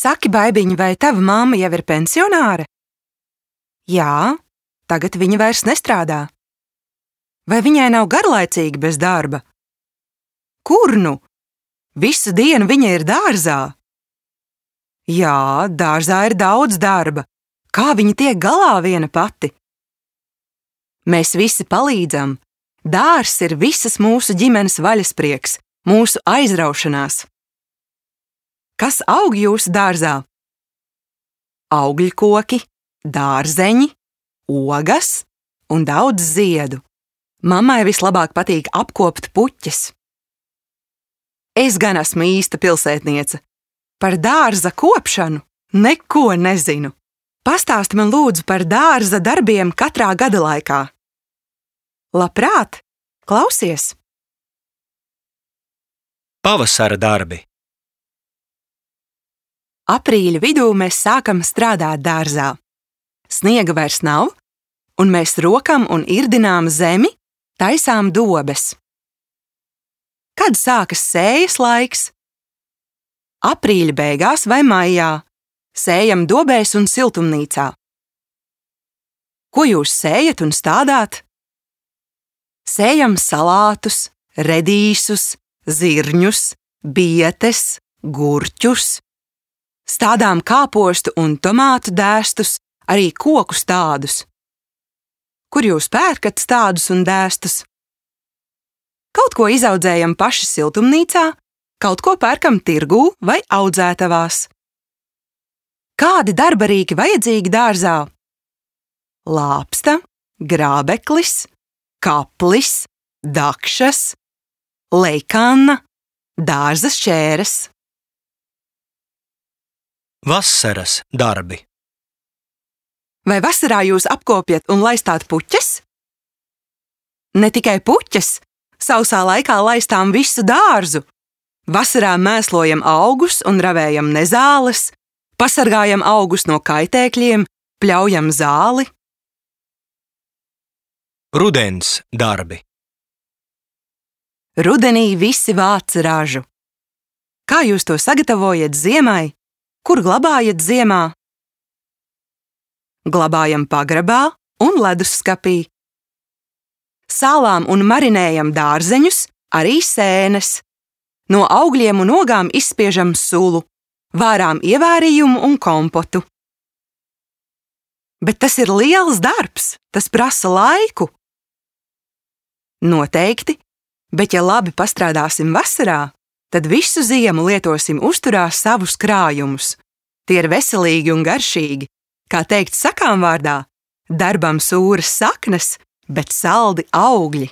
Saki, baibiņ, vai tava mamma jau ir pensionāre? Jā, tagad viņa vairs nestrādā. Vai viņai nav garlaicīgi bez darba? Kur nu? Visu dienu viņa ir dārzā. Jā, dārzā ir daudz darba. Kā viņa tiek galā viena pati? Mēs visi palīdzam. Dārzs ir visas mūsu ģimenes vaļasprieks, mūsu aizraušanās. Kas aug jūsu dārzā? Augļkoki, dārzeņi, ogas un daudz ziedu. Mammai vislabāk patīk apkopt puķes. Es gan esmu īsta pilsētniece. Par dārza kopšanu neko nezinu. Pastāsti man lūdzu par dārza darbiem katrā gada laikā. Labprāt, klausies! Pavasara darbi. Aprīļa vidū mēs sākam strādāt dārzā. Sniega vairs nav, un mēs rokam un irdinām zemi, taisām dobes. Kad sākas sējas laiks? Aprīļa beigās vai maijā. Sējam dobēs un siltumnīcā. Ko jūs sējat un stādāt? Sējam salātus, redīsus, zirņus, bietes, gurķus. Stādām kāpostu un tomātu dēstus, arī koku stādus. Kur jūs pērkat stādus un dēstus? Kaut ko izaudzējam paši siltumnīcā, kaut ko pērkam tirgū vai audzētavās. Kādi darbarīki vajadzīgi dārzā? Lāpsta, grābeklis, kaplis, dakšas, leikanna, dārza šķēres. Vasaras darbi. Vai vasarā jūs apkopjat un laistāt puķes? Ne tikai puķes, sausā laikā laistām visu dārzu. Vasarā mēslojam augus un ravējam nezāles, pasargājam augus no kaitēkļiem, pļaujam zāli. Rudens darbi. Rudenī visi vāc ražu. Kā jūs to sagatavojat ziemai? Kur glabājat ziemā? Glabājam pagrabā un ledusskapī. Sālām un marinējam dārzeņus, arī sēnes. No augļiem un ogām izspiežam sulu, vārām ievārījumu un kompotu. Bet tas ir liels darbs, tas prasa laiku. Noteikti, bet ja labi pastrādāsim vasarā, tad visu ziemu lietosim uzturā savus krājumus. Tie ir veselīgi un garšīgi. Kā teikt sakām vārdā, darbam sūras saknes, bet saldi augļi.